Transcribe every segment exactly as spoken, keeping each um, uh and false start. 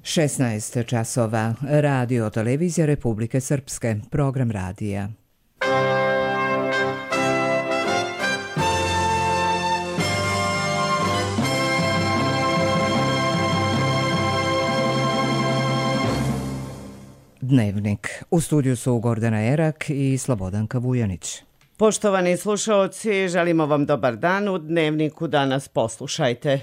šesnaest časova. Radio televizija Republike Srpske. Program radija. Dnevnik. U studiju su Gordana Erak i Slobodanka Vujanić. Poštovani slušaoci, želimo vam dobar dan. U Dnevniku danas poslušajte.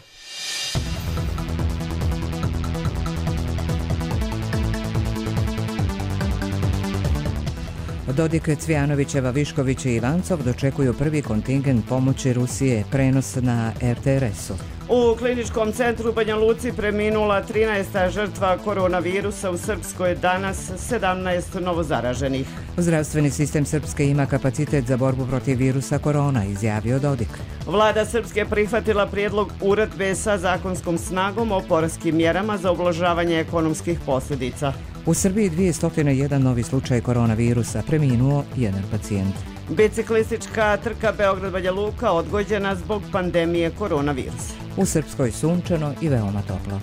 Dodik, Cvijanovićeva, Višković i Ivancov dočekuju prvi kontingent pomoći Rusije, prenos na er te er es-u. U kliničkom centru u Banja Luci preminula trinaesta žrtva koronavirusa, u Srpskoj danas sedamnaest novozaraženih. Zdravstveni sistem Srpske ima kapacitet za borbu protiv virusa korona, izjavio Dodik. Vlada Srpske prihvatila prijedlog uredbe sa zakonskom snagom o poreskim mjerama za ublažavanje ekonomskih posljedica. U Srbiji dvjesto jedan novi slučaj koronavirusa, preminuo jedan pacijent. Biciklistička trka Beograd-Banja Luka odgođena zbog pandemije koronavirusa. U Srpskoj sunčano i veoma toplo.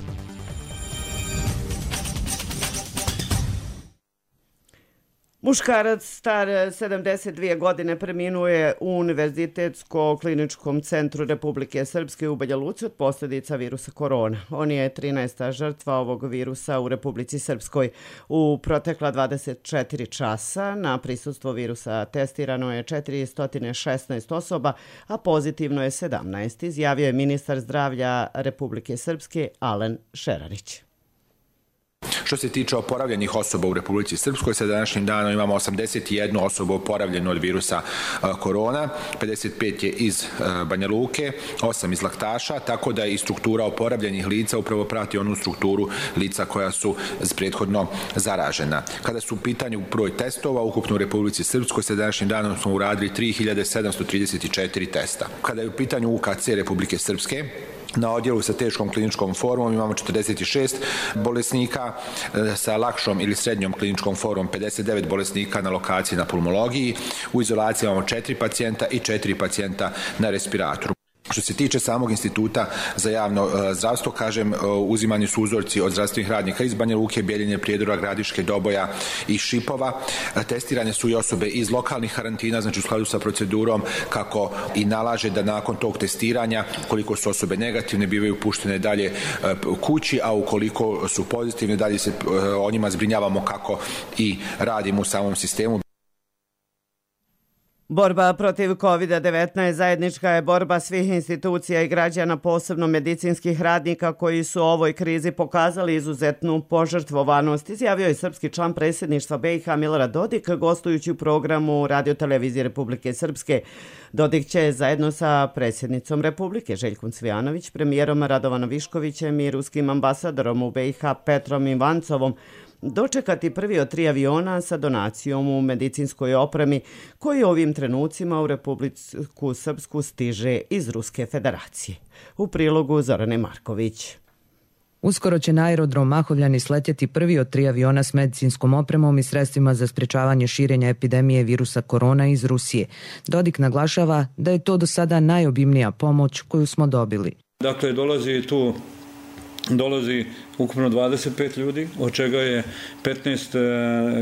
Muškarac star sedamdeset dvije godine preminuo je u Univerzitetsko-kliničkom centru Republike Srpske u Banja Luci od posljedica virusa korona. On je trinaesta žrtva ovog virusa u Republici Srpskoj. U protekla dvadeset četiri časa na prisustvo virusa testirano je četiristo šesnaest osoba, a pozitivno je sedamnaest, izjavio je ministar zdravlja Republike Srpske Alen Šerarić. Što se tiče oporavljenih osoba u Republici Srpskoj, sa današnjim danom imamo osamdeset jednu osobu oporavljenu od virusa korona, pedeset pet je iz Banja Luke, osam iz Laktaša, tako da i struktura oporavljenih lica upravo prati onu strukturu lica koja su prethodno zaražena. Kada su u pitanju broj testova, ukupno u Republici Srpskoj, sa današnjim danom smo uradili tri hiljade sedamsto trideset četiri testa. Kada je u pitanju u ka ce Republike Srpske, na odjelu sa teškom kliničkom formom imamo četrdeset šest bolesnika, sa lakšom ili srednjom kliničkom formom pedeset devet bolesnika na lokaciji na pulmologiji, u izolaciji imamo četiri pacijenta i četiri pacijenta na respiratoru. Što se tiče samog instituta za javno zdravstvo, kažem, uzimani su uzorci od zdravstvenih radnika iz Banja Luke, Bjeljine, Prijedora, Gradiške, Doboja i Šipova. Testirane su i osobe iz lokalnih karantina, znači u skladu sa procedurom kako i nalaže da nakon tog testiranja, koliko su osobe negativne, bivaju puštene dalje kući, a ukoliko su pozitivne, dalje se o njima zbrinjavamo kako i radimo u samom sistemu. Borba protiv kovid devetnaest zajednička je borba svih institucija i građana, posebno medicinskih radnika koji su u ovoj krizi pokazali izuzetnu požrtvovanost, izjavio je srpski član predsjedništva be i ha Milorad Dodik, gostujući u programu Radio televizije Republike Srpske. Dodik će zajedno sa predsjednicom Republike Željkom Cvijanović, premijerom Radovanom Viškovićem i ruskim ambasadorom u be i ha Petrom Ivancovom dočekati prvi od tri aviona sa donacijom u medicinskoj opremi koji ovim trenucima u Republiku Srpsku stiže iz Ruske federacije. U prilogu Zorane Marković. Uskoro će na aerodrom Mahovljani sletjeti prvi od tri aviona s medicinskom opremom i sredstvima za sprečavanje širenja epidemije virusa korona iz Rusije. Dodik naglašava da je to do sada najobimnija pomoć koju smo dobili. Dakle, dolazi tu dolazi ukupno dvadeset pet ljudi, od čega je petnaest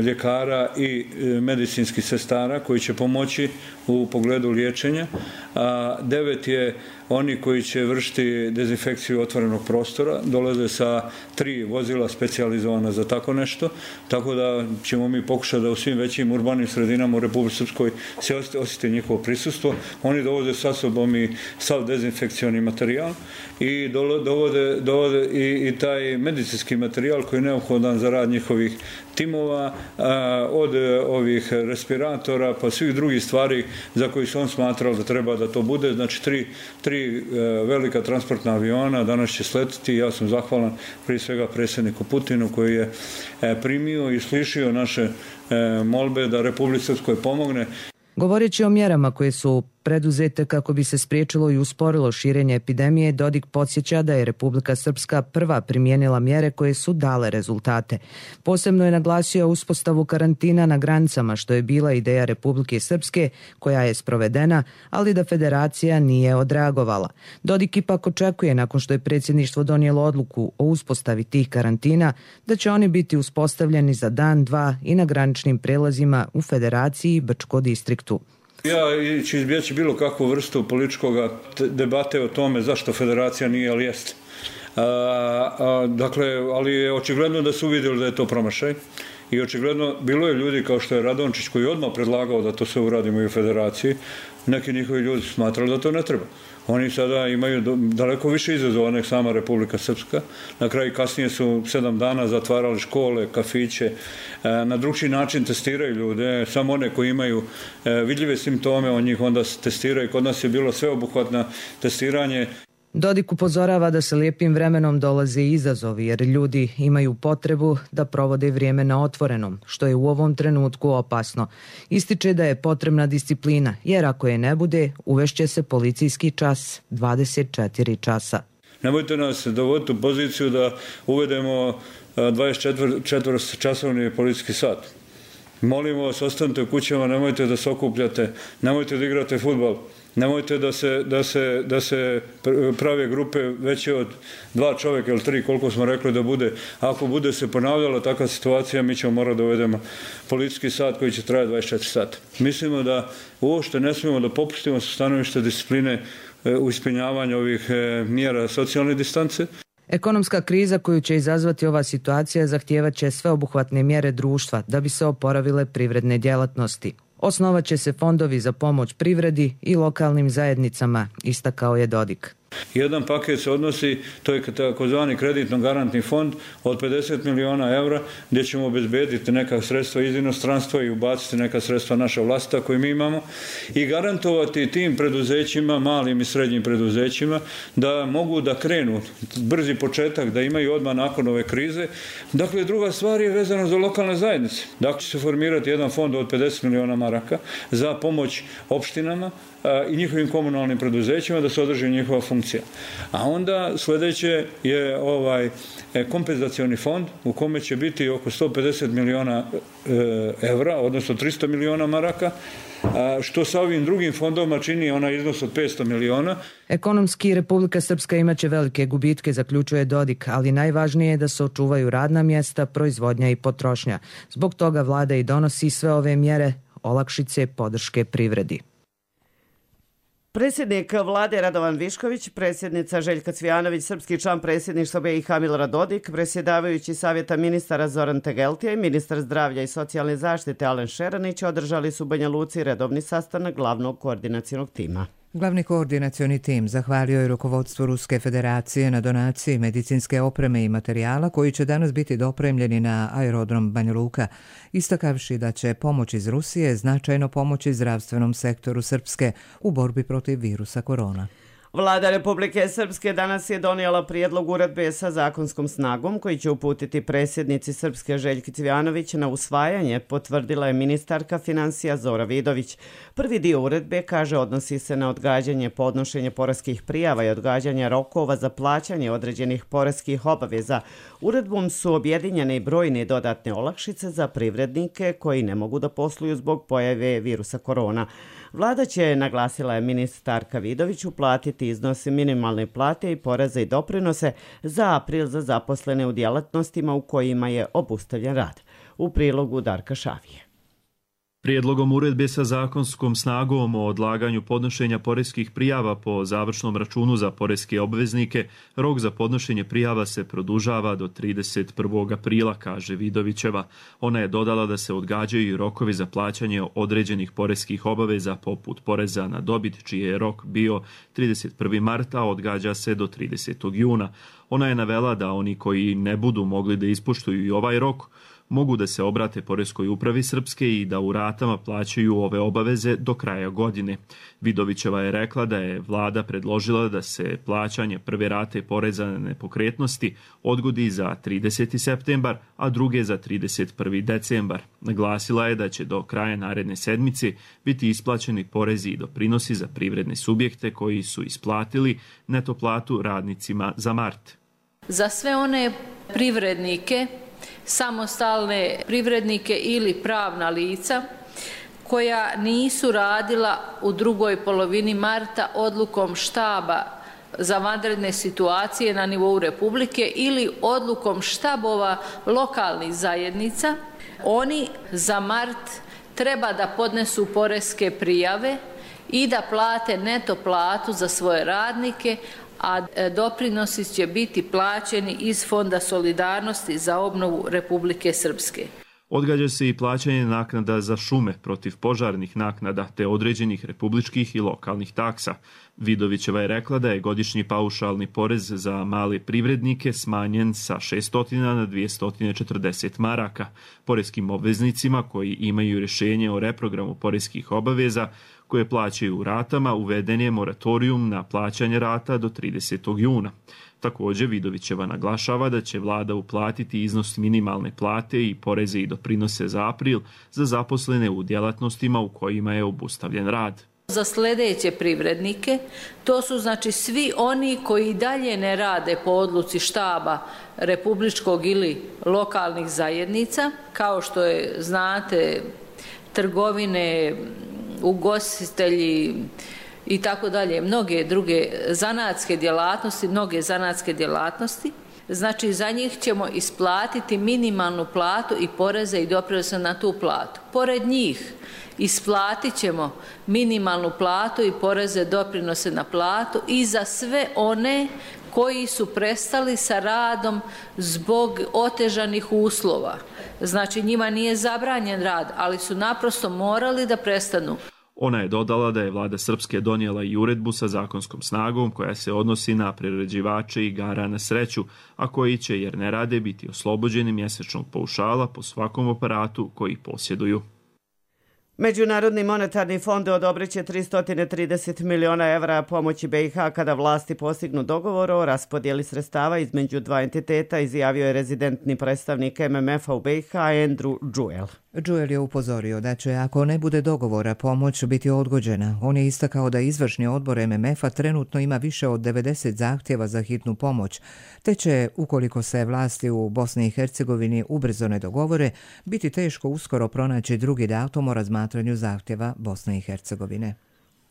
ljekara i medicinskih sestara koji će pomoći u pogledu liječenja, a devet je oni koji će vršiti dezinfekciju otvorenog prostora, dolaze sa tri vozila specijalizovana za tako nešto, tako da ćemo mi pokušati da u svim većim urbanim sredinama u Republici Srpskoj se osjeti njihovo prisustvo. Oni dovode sa sobom i sav dezinfekcioni materijal i dovode, dovode i, i taj medicinski materijal koji je neophodan za rad njihovih timova, a, od ovih respiratora pa svih drugih stvari za koji su on smatrao da treba da to bude. Znači tri, tri e, velika transportna aviona danas će sletiti. Ja sam zahvalan prije svega predsjedniku Putinu koji je e, primio i slišio naše e, molbe da Republici Srpskoj pomogne. Govoreći o mjerama koje su preduzete kako bi se spriječilo i usporilo širenje epidemije, Dodik podsjeća da je Republika Srpska prva primijenila mjere koje su dale rezultate. Posebno je naglasio uspostavu karantina na granicama, što je bila ideja Republike Srpske, koja je sprovedena, ali da federacija nije odreagovala. Dodik ipak očekuje, nakon što je predsjedništvo donijelo odluku o uspostavi tih karantina, da će oni biti uspostavljeni za dan, dva i na graničnim prelazima u federaciji i Brčko distriktu. Ja ću izbjeći bilo kakvu vrstu političkog debate o tome zašto federacija nije, ali jeste. A, a, dakle, ali je očigledno da su uvidjeli da je to promašaj i očigledno bilo je ljudi kao što je Radončić koji je odmah predlagao da to sve uradimo i u federaciji. Neki njihovi ljudi smatrali da to ne treba. Oni sada imaju daleko više izazova nek sama Republika Srpska. Na kraju kasnije su sedam dana zatvarali škole, kafiće, na drugčiji način testiraju ljude, samo one koji imaju vidljive simptome, on njih onda testiraju. Kod nas je bilo sveobuhvatno testiranje. Dodik upozorava da se lijepim vremenom dolaze izazovi jer ljudi imaju potrebu da provode vrijeme na otvorenom, što je u ovom trenutku opasno. Ističe da je potrebna disciplina, jer ako je ne bude, uvešće se policijski čas dvadeset četiri časa. Nemojte nas dovoditi u poziciju da uvedemo dvadeset četiri časovni policijski sat. Molimo vas, ostanite u kućama, nemojte da se okupljate, nemojte da igrate fudbal. Nemojte da se, da, se, da se prave grupe veće od dva čovjeka ili tri, koliko smo rekli da bude. Ako bude se ponavljala takva situacija, mi ćemo morati da uvedemo policijski sat koji će trajati dvadeset četiri sata. Mislimo da uopšte ne smijemo da popustimo sa stanovišta discipline u ispunjavanju ovih mjera socijalne distance. Ekonomska kriza koju će izazvati ova situacija zahtijevat će sveobuhvatne mjere društva da bi se oporavile privredne djelatnosti. Osnovat će se fondovi za pomoć privredi i lokalnim zajednicama, istakao je Dodik. Jedan paket se odnosi, to je takozvani kreditno-garantni fond od pedeset miliona eura gdje ćemo obezbediti neka sredstva iz inostranstva i ubaciti neka sredstva naša vlastita koje mi imamo i garantovati tim preduzećima, malim i srednjim preduzećima da mogu da krenu brzi početak, da imaju odmah nakon ove krize. Dakle, druga stvar je vezana za lokalne zajednice. Dakle, će se formirati jedan fond od pedeset miliona maraka za pomoć opštinama i njihovim komunalnim preduzećima da se održi njihova funkcija. A onda sljedeće je ovaj kompenzacioni fond u kome će biti oko sto pedeset miliona evra, odnosno tristo miliona maraka, što sa ovim drugim fondovima čini onaj iznos od petsto miliona. Ekonomski Republika Srpska imaće velike gubitke, zaključuje Dodik, ali najvažnije je da se očuvaju radna mjesta, proizvodnja i potrošnja. Zbog toga vlada i donosi sve ove mjere, olakšice, podrške privredi. Predsjednik vlade Radovan Višković, predsjednica Željka Cvijanović, srpski član predsjedništva B i H Milorad Dodik, predsjedavajući savjeta ministara Zoran Tegeltija i ministar zdravlja i socijalne zaštite Alen Šeranić održali su u Banja Luci redovni sastanak glavnog koordinacionog tima. Glavni koordinacioni tim zahvalio je rukovodstvu Ruske federacije na donaciji medicinske opreme i materijala koji će danas biti dopremljeni na aerodrom Banja Luka, istakavši da će pomoć iz Rusije značajno pomoći zdravstvenom sektoru Srpske u borbi protiv virusa korona. Vlada Republike Srpske danas je donijela prijedlog uredbe sa zakonskom snagom koji će uputiti predsjednici Srpske Željki Cvijanović na usvajanje, potvrdila je ministarka financija Zora Vidović. Prvi dio uredbe, kaže, odnosi se na odgađanje podnošenja poreskih prijava i odgađanja rokova za plaćanje određenih poreskih obaveza. Uredbom su objedinjene i brojne dodatne olakšice za privrednike koji ne mogu da posluju zbog pojave virusa korona. Vlada će, naglasila je ministarka Vidović, uplatiti iznosi minimalne plate i poreza i doprinose za april za zaposlene u djelatnostima u kojima je obustavljen rad. U prilogu Darka Šavije. Prijedlogom uredbe sa zakonskom snagom o odlaganju podnošenja poreskih prijava po završnom računu za poreske obveznike, rok za podnošenje prijava se produžava do trideset prvog aprila, kaže Vidovićeva. Ona je dodala da se odgađaju i rokovi za plaćanje određenih poreskih obaveza poput poreza na dobit, čiji je rok bio trideset prvog marta, a odgađa se do tridesetog juna. Ona je navela da oni koji ne budu mogli da ispoštuju i ovaj rok, mogu da se obrate Poreskoj upravi Srpske i da u ratama plaćaju ove obaveze do kraja godine. Vidovićeva je rekla da je vlada predložila da se plaćanje prve rate poreza na nepokretnosti odgodi za trideseti septembar, a druge za trideset prvi decembar. Naglasila je da će do kraja naredne sedmice biti isplaćeni porezi i doprinosi za privredne subjekte koji su isplatili neto platu radnicima za mart. Za sve one privrednike, samostalne privrednike ili pravna lica koja nisu radila u drugoj polovini marta odlukom štaba za vanredne situacije na nivou Republike ili odlukom štabova lokalnih zajednica, oni za mart treba da podnesu poreske prijave i da plate neto platu za svoje radnike, a doprinosi će biti plaćeni iz Fonda solidarnosti za obnovu Republike Srpske. Odgađa se i plaćanje naknada za šume, protiv požarnih naknada te određenih republičkih i lokalnih taksa. Vidovićeva je rekla da je godišnji paušalni porez za male privrednike smanjen sa šesto na dvesta četrdeset maraka. Poreskim obveznicima koji imaju rješenje o reprogramu poreskih obaveza koje plaćaju u ratama, uveden je moratorijum na plaćanje rata do tridesetog juna. Također, Vidovićeva naglašava da će vlada uplatiti iznos minimalne plate i poreze i doprinose za april za zaposlene u djelatnostima u kojima je obustavljen rad. Za sljedeće privrednike, to su znači svi oni koji dalje ne rade po odluci štaba republičkog ili lokalnih zajednica, kao što je, znate, trgovine, ugostitelji i tako dalje, mnoge druge zanatske djelatnosti, mnoge zanatske djelatnosti. Znači, za njih ćemo isplatiti minimalnu platu i poreze i doprinose na tu platu. Pored njih isplatit ćemo minimalnu platu i poreze doprinose na platu i za sve one koji su prestali sa radom zbog otežanih uslova. Znači, njima nije zabranjen rad, ali su naprosto morali da prestanu. Ona je dodala da je vlada Srpske donijela i uredbu sa zakonskom snagom koja se odnosi na priređivače igara na sreću, a koji će, jer ne rade, biti oslobođeni mjesečnog paušala po svakom aparatu koji posjeduju. Međunarodni monetarni fond odobrit će tristo trideset miliona evra pomoći B i H kada vlasti postignu dogovor o raspodjeli sredstava između dva entiteta, izjavio je rezidentni predstavnik M M F-a u B i H Andrew Jewell. Jewell je upozorio da će, ako ne bude dogovora, pomoć biti odgođena. On je istakao da izvršni odbor M M F-a trenutno ima više od devedeset zahtjeva za hitnu pomoć, te će, ukoliko se vlasti u Bosni i Hercegovini ubrzo ne dogovore, biti teško uskoro pronaći drugi datum o razmatranju zahtjeva Bosne i Hercegovine.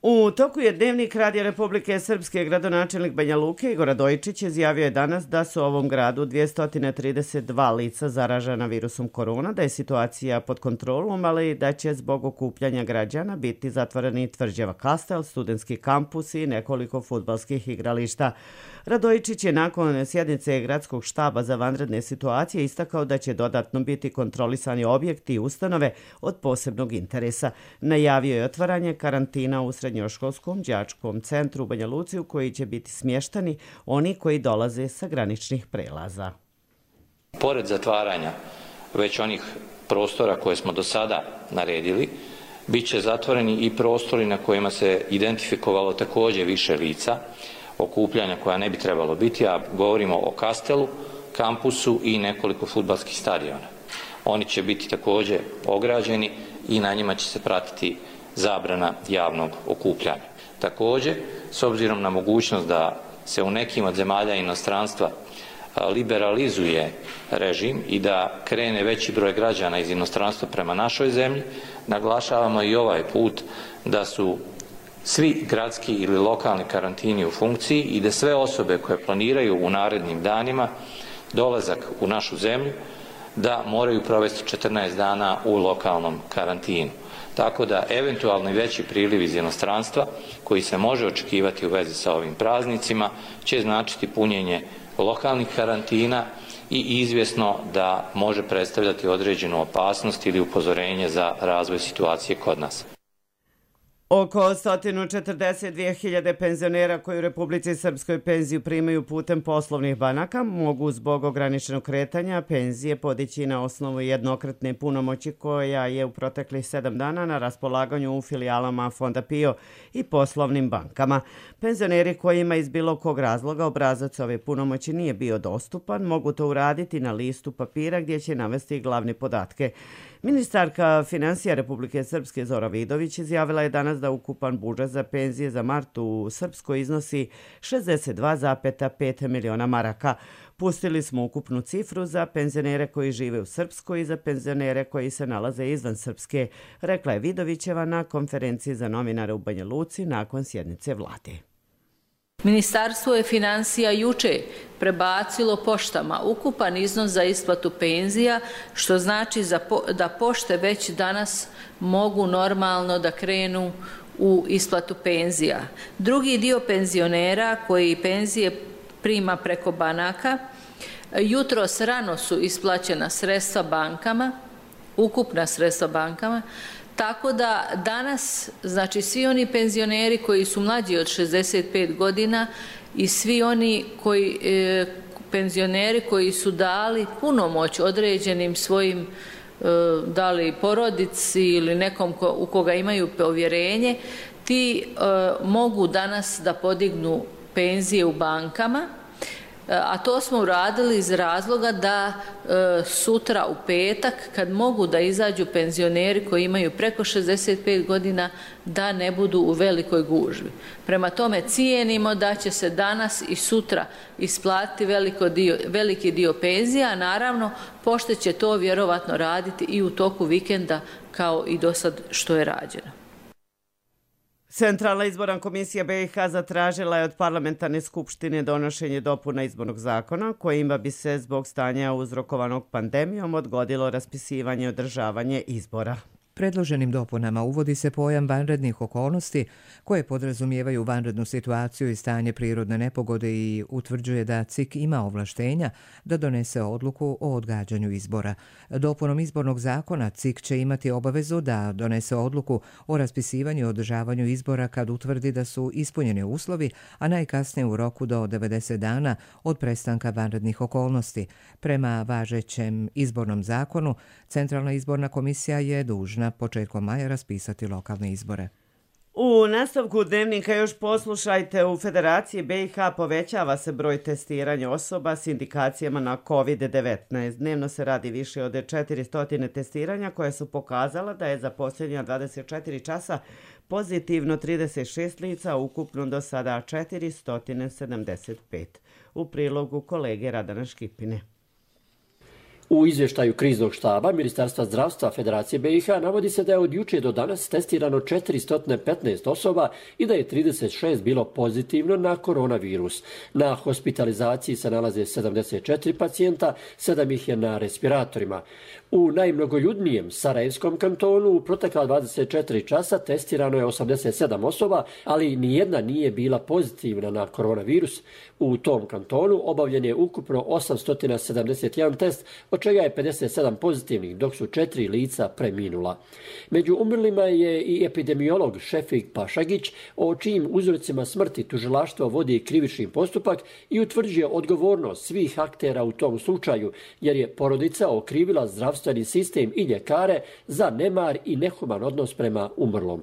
U toku je Dnevnik Radija Republike Srpske. Gradonačelnik Banja Luke Igor Radojičić izjavio je danas da su u ovom gradu dvjesto trideset dva lica zaražena virusom korona, da je situacija pod kontrolom, ali da će zbog okupljanja građana biti zatvoreni tvrđava Kastel, studentski kampus i nekoliko fudbalskih igrališta. Radojičić je nakon sjednice gradskog štaba za vanredne situacije istakao da će dodatno biti kontrolisani objekti i ustanove od posebnog interesa. Najavio je otvaranje karantina u srednjoškolskom đačkom centru u Banja Luci u koji će biti smještani oni koji dolaze sa graničnih prelaza. Pored zatvaranja već onih prostora koje smo do sada naredili, bit će zatvoreni i prostori na kojima se identifikovalo također više lica, okupljanja koja ne bi trebalo biti, a govorimo o Kastelu, kampusu i nekoliko fudbalskih stadiona. Oni će biti također ograđeni i na njima će se pratiti zabrana javnog okupljanja. Također, s obzirom na mogućnost da se u nekim od zemalja inostranstva liberalizuje režim i da krene veći broj građana iz inostranstva prema našoj zemlji, naglašavamo i ovaj put da su svi gradski ili lokalni karantini u funkciji i da sve osobe koje planiraju u narednim danima dolazak u našu zemlju da moraju provesti četrnaest dana u lokalnom karantinu. Tako da eventualni veći priliv iz inostranstva koji se može očekivati u vezi sa ovim praznicima će značiti punjenje lokalnih karantina i izvjesno da može predstavljati određenu opasnost ili upozorenje za razvoj situacije kod nas. Oko sto četrdeset dvije hiljade penzionera koji u Republici Srpskoj penziju primaju putem poslovnih banaka mogu zbog ograničenog kretanja penzije podići na osnovu jednokratne punomoći koja je u proteklih sedam dana na raspolaganju u filijalama Fonda PIO i poslovnim bankama. Penzioneri kojima iz bilo kog razloga obrazac ove punomoći nije bio dostupan mogu to uraditi na listu papira gdje će navesti glavne podatke. Ministarka financija Republike Srpske Zora Vidović izjavila je danas da ukupan budžet za penzije za mart u Srpskoj iznosi šezdeset dva zarez pet miliona maraka. Pustili smo ukupnu cifru za penzionere koji žive u Srpskoj i za penzionere koji se nalaze izvan Srpske, rekla je Vidovićeva na konferenciji za novinare u Banja Luci nakon sjednice vlade. Ministarstvo je financija juče prebacilo poštama ukupan iznos za isplatu penzija, što znači da pošte već danas mogu normalno da krenu u isplatu penzija. Drugi dio penzionera koji penzije prima preko banaka, jutros rano su isplaćena sredstva bankama, ukupna sredstva bankama, tako da danas, znači svi oni penzioneri koji su mlađi od šezdeset pet godina i svi oni koji, e, penzioneri koji su dali punomoć određenim svojim, e, dali porodici ili nekom ko, u koga imaju povjerenje, ti e, mogu danas da podignu penzije u bankama, a to smo uradili iz razloga da e, sutra u petak, kad mogu da izađu penzioneri koji imaju preko šezdeset pet godina, da ne budu u velikoj gužvi. Prema tome cijenimo da će se danas i sutra isplatiti veliko dio, veliki dio penzija, a naravno pošte će to vjerovatno raditi i u toku vikenda kao i do sad što je rađeno. Centralna izborna komisija B i H zatražila je od parlamentarne skupštine donošenje dopuna izbornog zakona kojima bi se zbog stanja uzrokovanog pandemijom odgodilo raspisivanje i održavanje izbora. Predloženim dopunama uvodi se pojam vanrednih okolnosti koje podrazumijevaju vanrednu situaciju i stanje prirodne nepogode i utvrđuje da C I K ima ovlaštenja da donese odluku o odgađanju izbora. Dopunom izbornog zakona C I K će imati obavezu da donese odluku o raspisivanju i održavanju izbora kad utvrdi da su ispunjeni uslovi, a najkasnije u roku do devedeset dana od prestanka vanrednih okolnosti. Prema važećem izbornom zakonu, Centralna izborna komisija je dužna početkom maja raspisati lokalne izbore. U nastavku dnevnika još poslušajte, u Federaciji B i H povećava se broj testiranja osoba s indikacijama na kovid devetnaest. Dnevno se radi više od četiristo testiranja koje su pokazala da je za posljednja dvadeset četiri časa pozitivno trideset šest lica, ukupno do sada četiristo sedamdeset pet. U prilogu kolege Radana Škipine. U izvještaju kriznog štaba Ministarstva zdravstva Federacije B i H navodi se da je od juče do danas testirano četiristo petnaest osoba i da je trideset šest bilo pozitivno na koronavirus. Na hospitalizaciji se nalaze sedamdeset četiri pacijenta, sedam ih je na respiratorima. U najmnogoljudnijem Sarajevskom kantonu u protekla dvadeset četiri časa testirano je osamdeset sedam osoba, ali nijedna nije bila pozitivna na koronavirus. U tom kantonu obavljen je ukupno osamsto sedamdeset jedan test, od čega je pedeset sedam pozitivnih, dok su četiri lica preminula. Među umrlima je i epidemiolog Šefik Pašagić, o čijim uzrocima smrti tužilaštvo vodi krivični postupak i utvrđuje odgovornost svih aktera u tom slučaju, jer je porodica okrivila zdravstveni sistem i ljekare za nemar i nehuman odnos prema umrlom.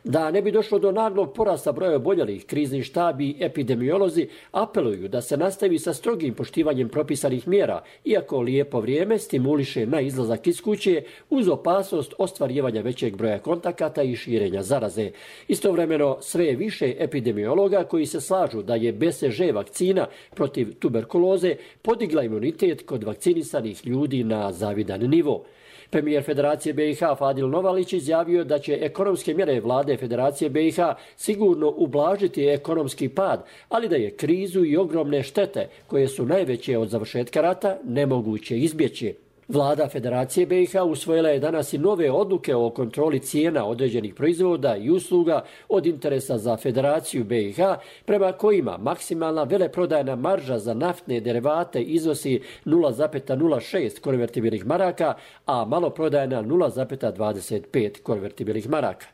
Da ne bi došlo do naglog porasta broja oboljelih, krizni štab i epidemiolozi apeluju da se nastavi sa strogim poštivanjem propisanih mjera, iako lijepo vrijeme stimuliše na izlazak iz kuće uz opasnost ostvarivanja većeg broja kontakata i širenja zaraze. Istovremeno sve je više epidemiologa koji se slažu da je B C G vakcina protiv tuberkuloze podigla imunitet kod vakcinisanih ljudi na zavidan nivo. Premijer Federacije B i H Fadil Novalić izjavio da će ekonomske mjere vlade Federacije B i H sigurno ublažiti ekonomski pad, ali da je krizu i ogromne štete, koje su najveće od završetka rata, nemoguće izbjeći. Vlada Federacije B i H usvojila je danas i nove odluke o kontroli cijena određenih proizvoda i usluga od interesa za Federaciju B i H, prema kojima maksimalna veleprodajna marža za naftne derivate iznosi nula zarez nula šest konvertibilnih maraka, a maloprodajna nula zarez dvadeset pet konvertibilnih maraka.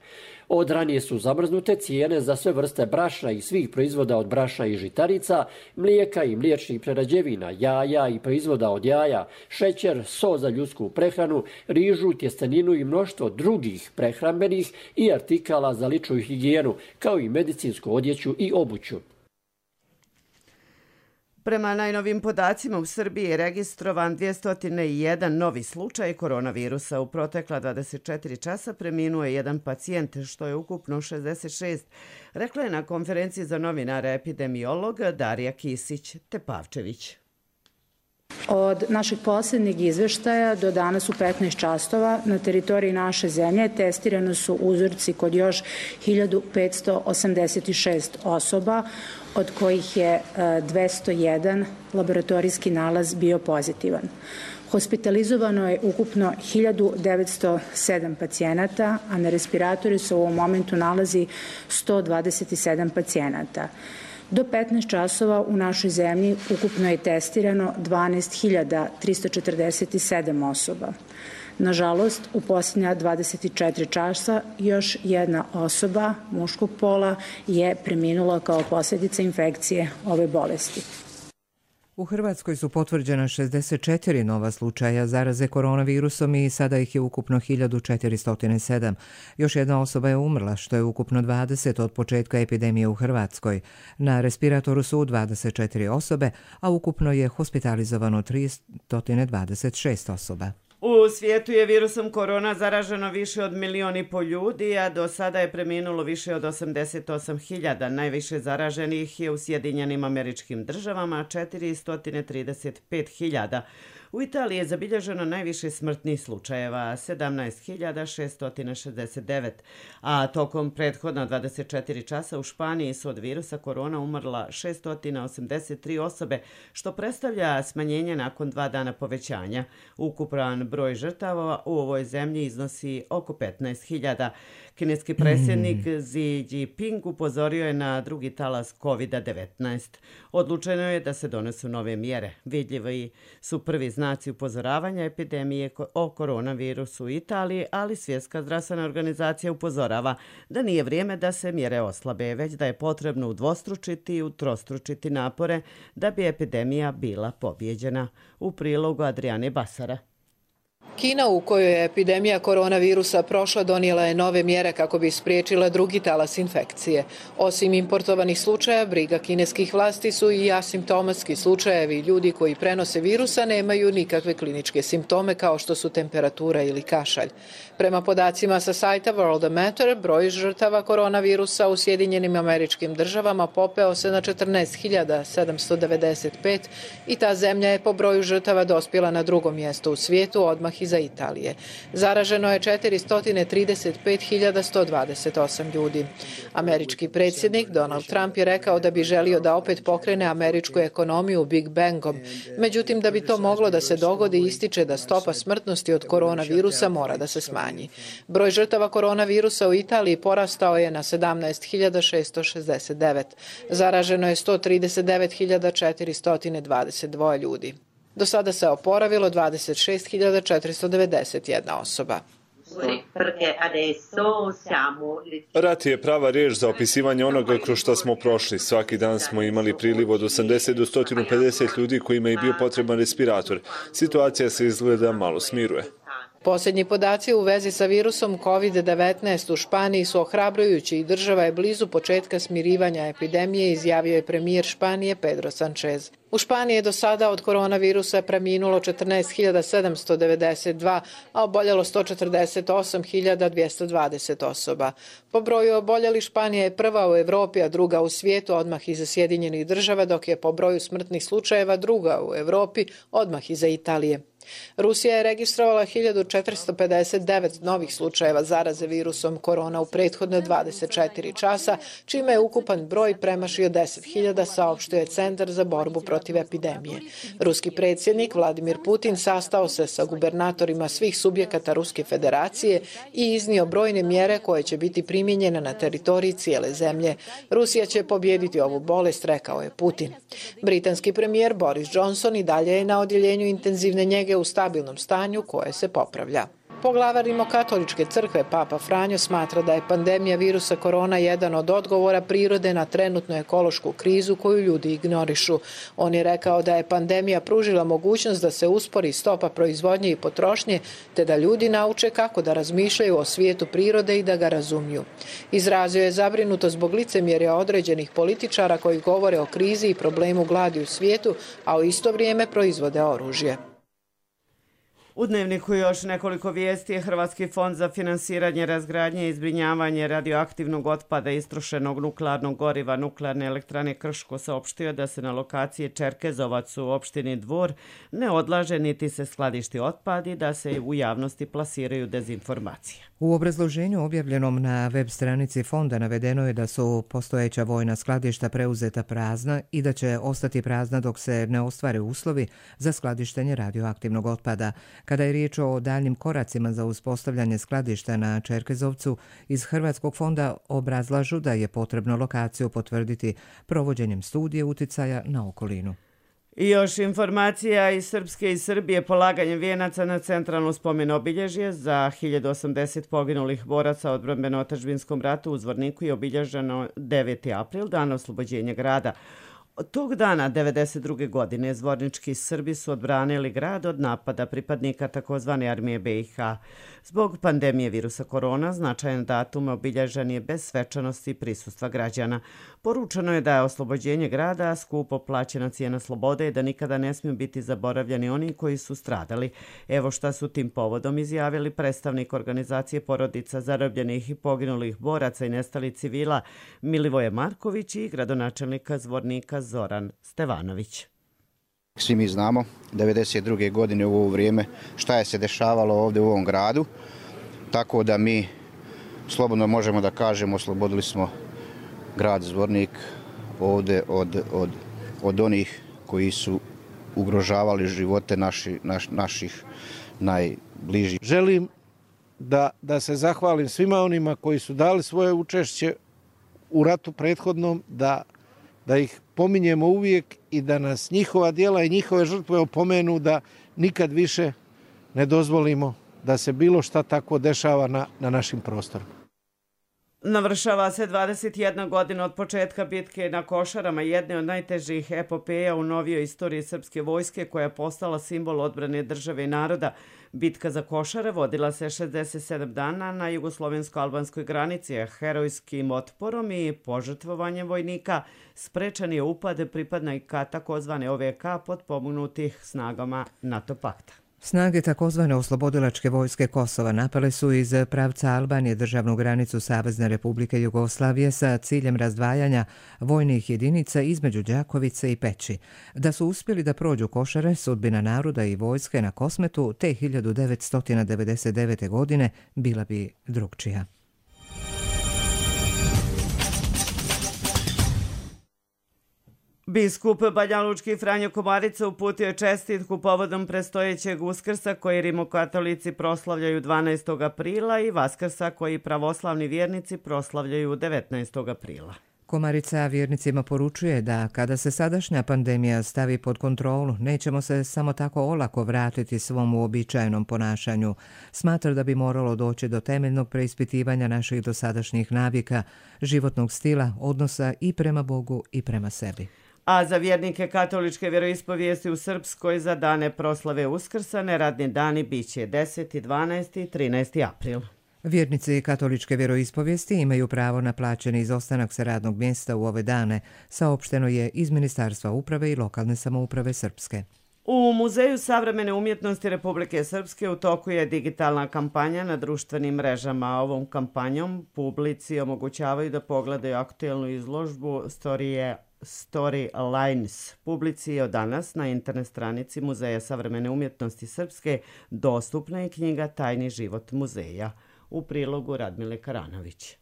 Od ranije su zamrznute cijene za sve vrste brašna i svih proizvoda od brašna i žitarica, mlijeka i mliječnih prerađevina, jaja i proizvoda od jaja, šećer, so za ljudsku prehranu, rižu, tjesteninu i mnoštvo drugih prehrambenih i artikala za ličnu higijenu, kao i medicinsku odjeću i obuću. Prema najnovim podacima u Srbiji je registrovan dvjesto jedan novi slučaj koronavirusa. U protekla dvadeset četiri časa preminuo je jedan pacijent, što je ukupno šezdeset šest. Rekla je na konferenciji za novinare epidemiolog Darija Kisić-Tepavčević. Od našeg posljednjeg izveštaja do danas u petnaest časova na teritoriji naše zemlje testirano su uzorci kod još hiljadu petsto osamdeset šest osoba, od kojih je dvjesto jedan laboratorijski nalaz bio pozitivan. Hospitalizovano je ukupno hiljadu devetsto sedam pacijenata, a na respiratoru se u ovom momentu nalazi sto dvadeset sedam pacijenata. Do petnaest časova u našoj zemlji ukupno je testirano dvanaest hiljada tristo četrdeset sedam osoba. Nažalost, u posljednja dvadeset četiri časa još jedna osoba muškog pola je preminula kao posljedica infekcije ove bolesti. U Hrvatskoj su potvrđena šezdeset četiri nova slučaja zaraze koronavirusom i sada ih je ukupno hiljadu četiristo sedam. Još jedna osoba je umrla, što je ukupno dvadeset od početka epidemije u Hrvatskoj. Na respiratoru su dvadeset četiri osobe, a ukupno je hospitalizovano tristo dvadeset šest osoba. U svijetu je virusom korona zaraženo više od milion i po ljudi, a do sada je preminulo više od osamdeset osam hiljada. Najviše zaraženih je u Sjedinjenim Američkim Državama, četiristo trideset pet hiljada. U Italiji je zabilježeno najviše smrtnih slučajeva, sedamnaest hiljada šesto šezdeset devet, a tokom prethodna dvadeset četiri časa u Španiji su od virusa korona umrla šesto osamdeset tri osobe, što predstavlja smanjenje nakon dva dana povećanja. Ukupan broj žrtava u ovoj zemlji iznosi oko petnaest hiljada. Kineski predsjednik Xi Jinping upozorio je na drugi talas kovid devetnaest. Odlučeno je da se donesu nove mjere. Vidljivi su prvi znaci upozoravanja epidemije o koronavirusu u Italiji, ali Svjetska zdravstvena organizacija upozorava da nije vrijeme da se mjere oslabe, već da je potrebno udvostručiti i utrostručiti napore da bi epidemija bila pobijeđena. U prilogu Adriane Basara. Kina, u kojoj je epidemija koronavirusa prošla, donijela je nove mjere kako bi spriječila drugi talas infekcije. Osim importovanih slučaja, briga kineskih vlasti su i asimptomatski slučajevi. Ljudi koji prenose virusa nemaju nikakve kliničke simptome kao što su temperatura ili kašalj. Prema podacima sa sajta Worldometer, broj žrtava koronavirusa u Sjedinjenim Američkim Državama popeo se na četrnaest hiljada sedamsto devedeset pet i ta zemlja je po broju žrtava dospjela na drugo mjesto u svijetu, odmah iza Italije. Zaraženo je četiristo trideset pet hiljada sto dvadeset osam ljudi. Američki predsjednik Donald Trump je rekao da bi želio da opet pokrene američku ekonomiju Big Bangom. Međutim, da bi to moglo da se dogodi, ističe da stopa smrtnosti od koronavirusa mora da se smanji. Broj žrtava koronavirusa u Italiji porastao je na sedamnaest hiljada šesto šezdeset devet. Zaraženo je sto trideset devet hiljada četiristo dvadeset dva ljudi. Do sada se oporavilo dvadeset šest hiljada četiristo devedeset jedna osoba. Rat je prava riječ za opisivanje onoga kroz što smo prošli. Svaki dan smo imali priliv od osamdeset do sto pedeset ljudi kojima je bio potreban respirator. Situacija se izgleda malo smiruje. Posljednji podaci u vezi sa virusom kovid devetnaest u Španiji su ohrabrujući i država je blizu početka smirivanja epidemije, izjavio je premijer Španije Pedro Sanchez. U Španiji je do sada od koronavirusa preminulo četrnaest hiljada sedamsto devedeset dva, a oboljelo sto četrdeset osam hiljada dvjesto dvadeset osoba. Po broju oboljelih Španija je prva u Europi, a druga u svijetu, odmah iza Sjedinjenih Država, dok je po broju smrtnih slučajeva druga u Europi, odmah iza Italije. Rusija je registrovala hiljadu četiristo pedeset devet novih slučajeva zaraze virusom korona u prethodne dvadeset četiri časa, čime je ukupan broj premašio deset hiljada, saopštio je Centar za borbu protiv epidemije. Ruski predsjednik Vladimir Putin sastao se sa gubernatorima svih subjekata Ruske federacije i iznio brojne mjere koje će biti primijenjene na teritoriji cijele zemlje. Rusija će pobijediti ovu bolest, rekao je Putin. Britanski premijer Boris Johnson i dalje je na odjeljenju intenzivne njege u stabilnom stanju koje se popravlja. Poglavar Rimokatoličke crkve Papa Franjo smatra da je pandemija virusa korona jedan od odgovora prirode na trenutnu ekološku krizu koju ljudi ignorišu. On je rekao da je pandemija pružila mogućnost da se uspori stopa proizvodnje i potrošnje, te da ljudi nauče kako da razmišljaju o svijetu prirode i da ga razumiju. Izrazio je zabrinuto zbog licemjerja određenih političara koji govore o krizi i problemu gladi u svijetu, a u isto vrijeme proizvode oružje. U Dnevniku još nekoliko vijesti. Hrvatski fond za finansiranje, razgradnje i zbrinjavanje radioaktivnog otpada istrošenog nuklearnog goriva Nuklearne elektrane Krško saopštio da se na lokaciji Čerkezovac u opštini Dvor ne odlaže niti se skladišti otpad i da se u javnosti plasiraju dezinformacije. U obrazloženju objavljenom na web stranici fonda navedeno je da su postojeća vojna skladišta preuzeta prazna i da će ostati prazna dok se ne ostvare uslovi za skladištenje radioaktivnog otpada. Kada je riječ o daljnim koracima za uspostavljanje skladišta na Čerkezovcu, iz Hrvatskog fonda obrazlažu da je potrebno lokaciju potvrditi provođenjem studije uticaja na okolinu. I još informacija iz Srpske i Srbije. Polaganjem vijenaca na centralno spomen obilježje za hiljadu osamdeset poginulih boraca u odbrambeno-otadžbinskom ratu u Zvorniku je obilježeno deveti april, dan oslobođenja grada. Od tog dana devedeset druge godine zvornički Srbi su odbranili grad od napada pripadnika takozvane armije B i H. Zbog pandemije virusa korona značajan datum obilježen je bez svečanosti i prisustva građana. Poručeno je da je oslobođenje grada skupo plaćena cijena slobode i da nikada ne smiju biti zaboravljeni oni koji su stradali. Evo šta su tim povodom izjavili predstavnik organizacije porodica zarobljenih i poginulih boraca i nestalih civila Milivoje Marković i gradonačelnika Zvornika Zoran Stevanović. Svi mi znamo devedeset druge godine u ovo vrijeme šta je se dešavalo ovdje u ovom gradu, tako da mi slobodno možemo da kažemo oslobodili smo grad Zvornik ovdje od, od, od onih koji su ugrožavali živote naši, naš, naših najbližih. Želim da, da se zahvalim svima onima koji su dali svoje učešće u ratu prethodnom, da da ih pominjemo uvijek i da nas njihova djela i njihove žrtve opomenu da nikad više ne dozvolimo da se bilo šta tako dešava na, na našim prostorima. Navršava se dvadeset jedna godina od početka bitke na Košarama, jedne od najtežih epopeja u novijoj istoriji srpske vojske koja je postala simbol odbrane države i naroda. Bitka za Košare vodila se šezdeset sedam dana na jugoslovensko-albanskoj granici, a herojskim otporom i požrtvovanjem vojnika sprečan je upad pripadnika takozvane O V K potpomognutih snagama NATO pakta. Snage takozvane oslobodilačke vojske Kosova napale su iz pravca Albanije državnu granicu Savezne Republike Jugoslavije sa ciljem razdvajanja vojnih jedinica između Đakovice i Peći. Da su uspjeli da prođu Košare, sudbina naroda i vojske na Kosmetu te hiljadu devetsto devedeset devete. godine bila bi drugčija. Biskup banjalučki Franjo Komarica uputio je čestitku povodom predstojećeg Uskrsa koji rimokatolici proslavljaju dvanaestog aprila i Vaskrsa koji pravoslavni vjernici proslavljaju devetnaestog aprila. Komarica vjernicima poručuje da kada se sadašnja pandemija stavi pod kontrolu, nećemo se samo tako olako vratiti svom uobičajenom ponašanju. Smatra da bi moralo doći do temeljnog preispitivanja naših dosadašnjih navika, životnog stila, odnosa i prema Bogu i prema sebi. A za vjernike katoličke vjeroispovijesti u Srpskoj za dane proslave Uskrsa neradni dani biće deseti, dvanaesti i trinaesti april. Vjernici katoličke vjeroispovijesti imaju pravo na plaćeni izostanak sa radnog mjesta u ove dane, saopšteno je iz Ministarstva uprave i lokalne samouprave Srpske. U Muzeju savremene umjetnosti Republike Srpske u toku je digitalna kampanja na društvenim mrežama. Ovom kampanjom publici omogućavaju da pogledaju aktuelnu izložbu Storije Story Lines. Publici je od danas na internet stranici Muzeja savremene umjetnosti Srpske dostupna je knjiga Tajni život muzeja. U prilogu Radmile Karanović.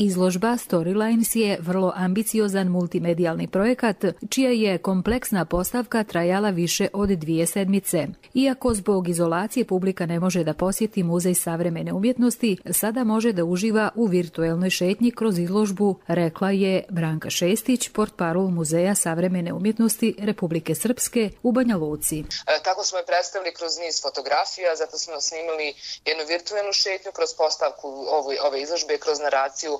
Izložba Storylines je vrlo ambiciozan multimedijalni projekat, čija je kompleksna postavka trajala više od dvije sedmice. Iako zbog izolacije publika ne može da posjeti Muzej savremene umjetnosti, sada može da uživa u virtuelnoj šetnji kroz izložbu, rekla je Branka Šestić, portparol Muzeja savremene umjetnosti Republike Srpske u Banja Luci. E, tako smo je predstavili kroz niz fotografija, zato smo snimili jednu virtuelnu šetnju kroz postavku ove, ove izložbe, kroz naraciju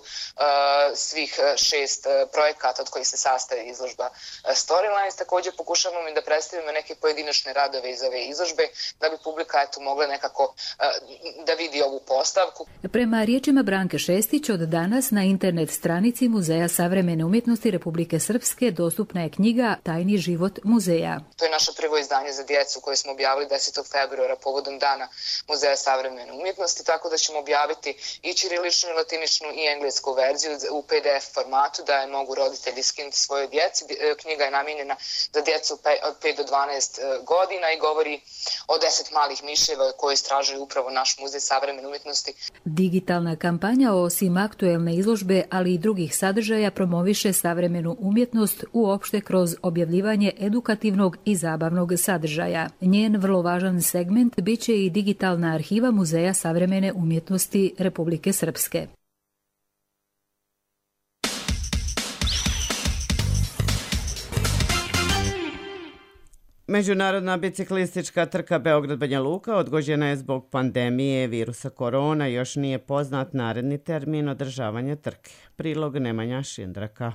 svih šest projekata od kojih se sastavi izložba Storylines. Također pokušavamo i da predstavimo neke pojedinačne radove iz ove izložbe da bi publika eto mogla nekako da vidi ovu postavku. Prema riječima Branke Šestić, od danas na internet stranici Muzeja savremene umjetnosti Republike Srpske dostupna je knjiga Tajni život muzeja. To je naše prvo izdanje za djecu koje smo objavili desetog februara povodom dana Muzeja savremene umjetnosti, tako da ćemo objaviti i ćiriličnu i latiničnu i englesku verziju u P D F formatu da je mogu roditelji skinuti svojoj djeci. Knjiga je namijenjena za djecu od pet do dvanaest godina i govori o deset malih miševa koje istražuju upravo naš Muzej savremene umjetnosti. Digitalna kampanja osim aktuelne izložbe, ali i drugih sadržaja promoviše savremenu umjetnost uopšte kroz objavljivanje edukativnog i zabavnog sadržaja. Njen vrlo važan segment biće i digitalna arhiva Muzeja savremene umjetnosti Republike Srpske. Međunarodna biciklistička trka Beograd-Banja Luka odgođena je zbog pandemije virusa korona. Još nije poznat naredni termin održavanja trke. Prilog Nemanja Šindraka.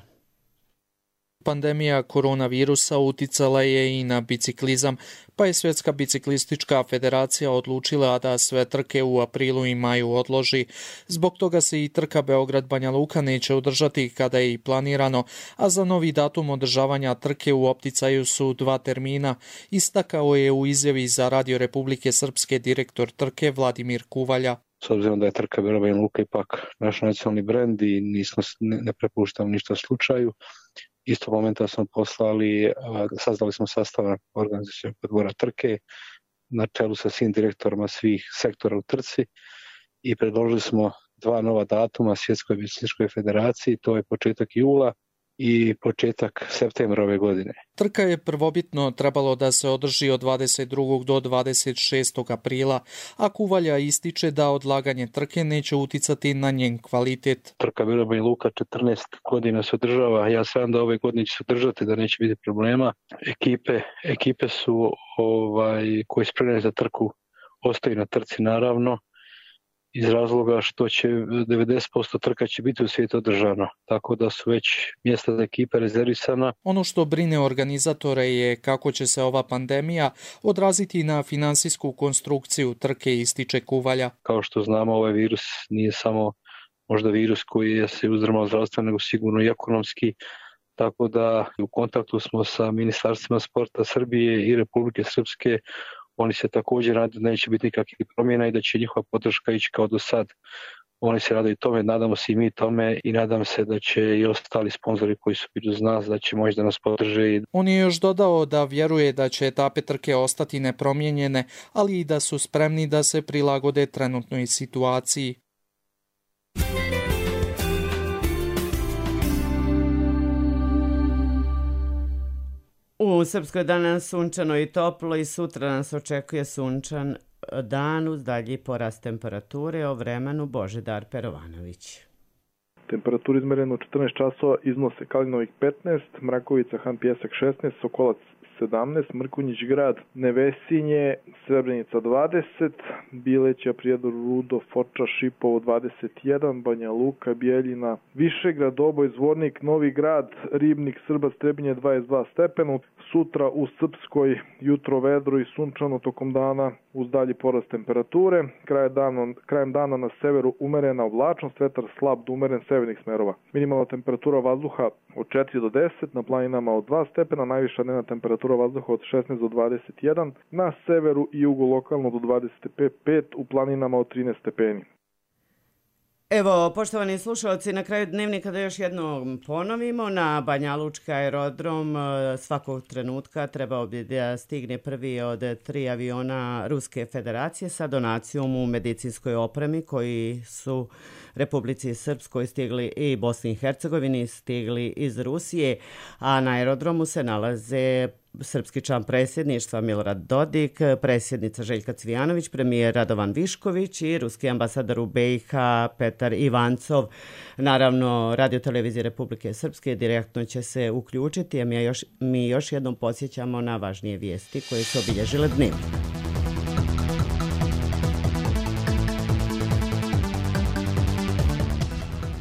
Pandemija koronavirusa uticala je i na biciklizam, pa je Svjetska biciklistička federacija odlučila da sve trke u aprilu i maju odloži. Zbog toga se i trka Beograd-Banja Luka neće održati kada je i planirano, a za novi datum održavanja trke u opticaju su dva termina, istakao je u izjavi za Radio Republike Srpske direktor trke Vladimir Kuvalja. S obzirom da je trka Beograd-Banja Luka ipak naš nacionalni brend i nismo, ne, ne prepuštamo ništa slučaju, istog momenta smo poslali, sazdali smo sastav organizacionog odbora trke na čelu sa svim direktorima svih sektora u trci i predložili smo dva nova datuma Svjetskoj biciklističkoj federaciji, to je početak jula i početak septembra ove godine. Trka je prvobitno trebalo da se održi od dvadeset drugog do dvadeset šestog aprila, a Kuvalja ističe da odlaganje trke neće uticati na njen kvalitet. Trka Beograd-Banja Luka četrnaest godina se održava, ja sam da ove godine će se održati, da neće biti problema. Ekipe, ekipe su ovaj, koje spremne za trku ostaju na trci naravno, iz razloga što će devedeset posto trka će biti u svijetu održano, tako da su već mjesta za ekipe rezervisana. Ono što brine organizatore je kako će se ova pandemija odraziti na finansijsku konstrukciju trke, ističe Kuvalja. Kao što znamo, ovaj virus nije samo možda virus koji je se uzdrmao zdravstveno, nego sigurno i ekonomski, tako da u kontaktu smo sa ministarstvima sporta Srbije i Republike Srpske. Oni se također rade da neće biti nikakvih promjena i da će njihova podrška ići kao do sad. Oni se rade i tome, nadamo se i mi tome i nadam se da će i ostali sponzori koji su bili uz nas, da će možda nas podrže. On je još dodao da vjeruje da će etape trke ostati nepromijenjene, ali i da su spremni da se prilagode trenutnoj situaciji. U Srpskoj danas sunčano i toplo i sutra nas očekuje sunčan dan uz dalji porast temperature. O vremenu Božidar Perovanović. Temperatura izmerena u četrnaest časova iznose Kalinovik petnaest, Mrakovica, Han Pjesak šesnaest, Sokolac sedamnaest, Mrkonjić grad, Nevesinje, Srebrenica dvadeset, Bileća, Prijedor, Rudo, Foča, Šipovo dvadeset jedan, Banja Luka, Bijeljina, Višegrad, Oboj, Zvornik, Novi grad, Ribnik, Srba, Strebinje dvadeset dva stepena. Sutra u Srpskoj jutro vedro i sunčano tokom dana uz dalji porast temperature. Krajem dana, krajem dana na severu umerena oblačnost, vetar slab do umeren severnih smerova. Minimalna temperatura vazduha od četiri do deset, na planinama od dva stepena, najviša dnevna temperatura vazduha od šesnaest do dvadeset jedan, na severu i jugu lokalno do dvadeset pet, u planinama od trinaest stepeni. Evo, poštovani slušalci, na kraju dnevnika da još jednom ponovimo, na Banjalučki aerodrom svakog trenutka trebao bi da stigne prvi od tri aviona Ruske federacije sa donacijom u medicinskoj opremi koji su Republici Srpskoj stigli i Bosni i Hercegovini stigli iz Rusije, a na aerodromu se nalaze srpski član predsjedništva Milorad Dodik, predsjednica Željka Cvijanović, premijer Radovan Višković i ruski ambasador u B i H Petar Ivancov. Naravno, Radio televizije Republike Srpske direktno će se uključiti, a mi još, mi još jednom podsjećamo na važnije vijesti koje su obilježile dnevnik.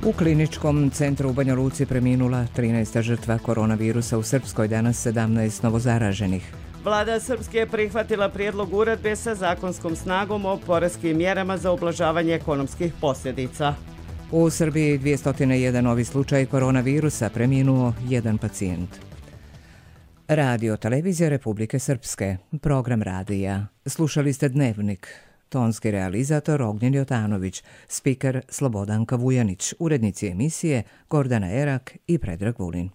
U kliničkom centru u Banja Luci preminula trinaesta žrtva koronavirusa, u Srpskoj danas sedamnaest novozaraženih. Vlada Srpske je prihvatila prijedlog uredbe sa zakonskom snagom o poreskim mjerama za ublažavanje ekonomskih posljedica. U Srbiji dvjesto jedan novi slučaj koronavirusa, preminuo jedan pacijent. Radio televizija Republike Srpske, program radija. Slušali ste Dnevnik. Tonski realizator Ognjen Jotanović, spiker Slobodanka Vujanić, urednici emisije Gordana Erak i Predrag Vulin.